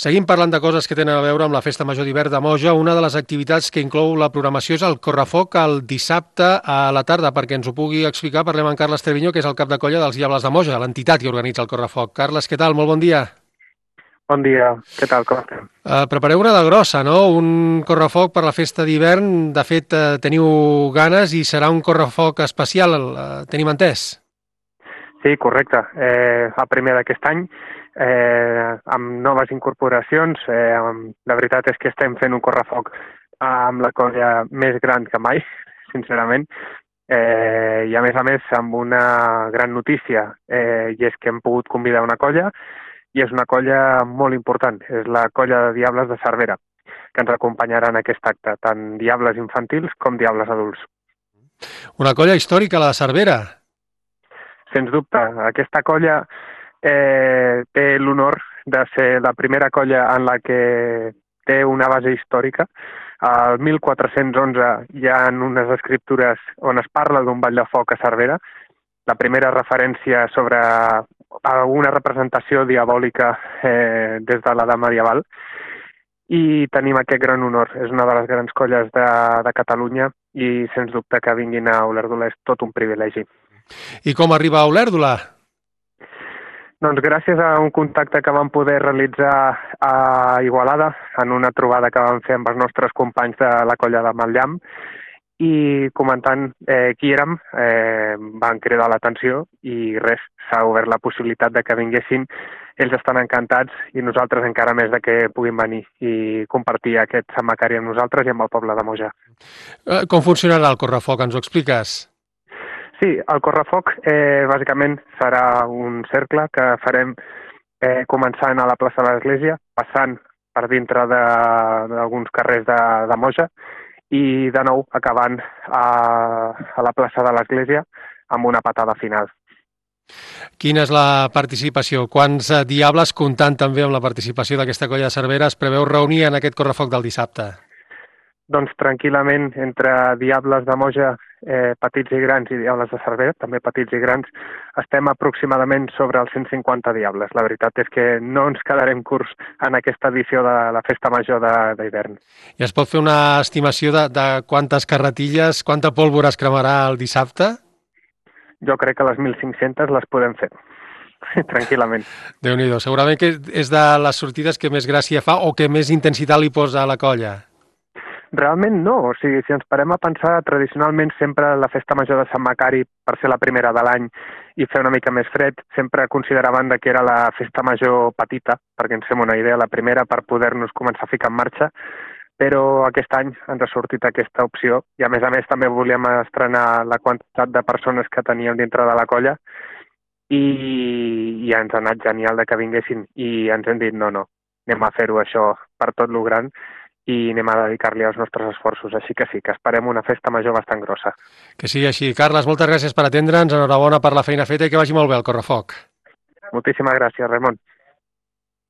Seguim parlant de coses que tenen a veure amb la Festa Major d'Hivern de Moja. Una de les activitats que inclou la programació és el correfoc el dissabte a la tarda. Perquè ens ho pugui explicar, parlem amb Carles Treviño, que és el cap de colla dels Diables de Moja, l'entitat que organitza el correfoc. Carles, què tal? Molt bon dia. Bon dia, què tal, com estem? Prepareu una de grossa, no? Un correfoc per la Festa d'Hivern. De fet, teniu ganes i serà un correfoc especial, tenim entès? Sí, correcte. El primer d'aquest any, amb noves incorporacions. La veritat és que estem fent un correfoc amb la colla més gran que mai, sincerament, i a més amb una gran notícia, i és que hem pogut convidar una colla, i és una colla molt important, és la colla de Diables de Cervera, que ens acompanyarà en aquest acte, tant diables infantils com diables adults. Una colla històrica, la de Cervera. Sens dubte, aquesta colla té l'honor de ser la primera colla en la que té una base històrica. Al 1411 hi ha unes escriptures on es parla d'un ball de foc a Cervera, la primera referència sobre alguna representació diabòlica des de l'edat medieval, i tenim aquest gran honor. És una de les grans colles de Catalunya i sens dubte que vinguin a Olèrdola és tot un privilegi. I com arriba a Olèrdola? Doncs gràcies a un contacte que vam poder realitzar a Igualada, en una trobada que vam fer amb els nostres companys de la colla de Matllam, i comentant qui érem, van cridar l'atenció i res, s'ha obert la possibilitat de que vinguessin. Ells estan encantats i nosaltres encara més de que puguin venir i compartir aquest Sant Macari amb nosaltres i amb el poble de Moja. Com funcionarà el correfoc? Ens ho expliques? Sí, el correfoc bàsicament serà un cercle que farem començant a la plaça de l'Església, passant per dintre d'alguns carrers de Moja i de nou acabant a la plaça de l'Església amb una patada final. Quina és la participació? Quants diables, comptant també amb la participació d'aquesta colla de Cervera, es preveu reunir en aquest correfoc del dissabte? Doncs tranquil·lament, entre diables de Moja, petits i grans, i diables de Cervera, també petits i grans, estem aproximadament sobre els 150 diables. La veritat és que no ens quedarem curts en aquesta edició de la Festa Major d'hivern. I es pot fer una estimació de quantes carretilles, quanta pólvora es cremarà el dissabte? Jo crec que les 1.500 les podem fer, tranquil·lament. Déu-n'hi-do, segurament que és de les sortides que més gràcia fa o que més intensitat li posa a la colla. Realment no, o sigui, si ens parem a pensar, tradicionalment sempre la Festa Major de Sant Macari, per ser la primera de l'any i fer una mica més fred, sempre consideraven que era la Festa Major petita, perquè ens fem una idea, la primera per poder-nos començar a ficar en marxa, però aquest any ens ha sortit aquesta opció i a més també volíem estrenar la quantitat de persones que teníem dintre de la colla i ens ha anat genial de que vinguessin i ens hem dit no, anem a fer-ho això per tot lo gran i anem a dedicar-li els nostres esforços. Així que sí, que esperem una festa major bastant grossa. Que sigui així. Carles, moltes gràcies per atendre'ns, enhorabona per la feina feta i que vagi molt bé el correfoc. Moltíssimes gràcies, Ramon.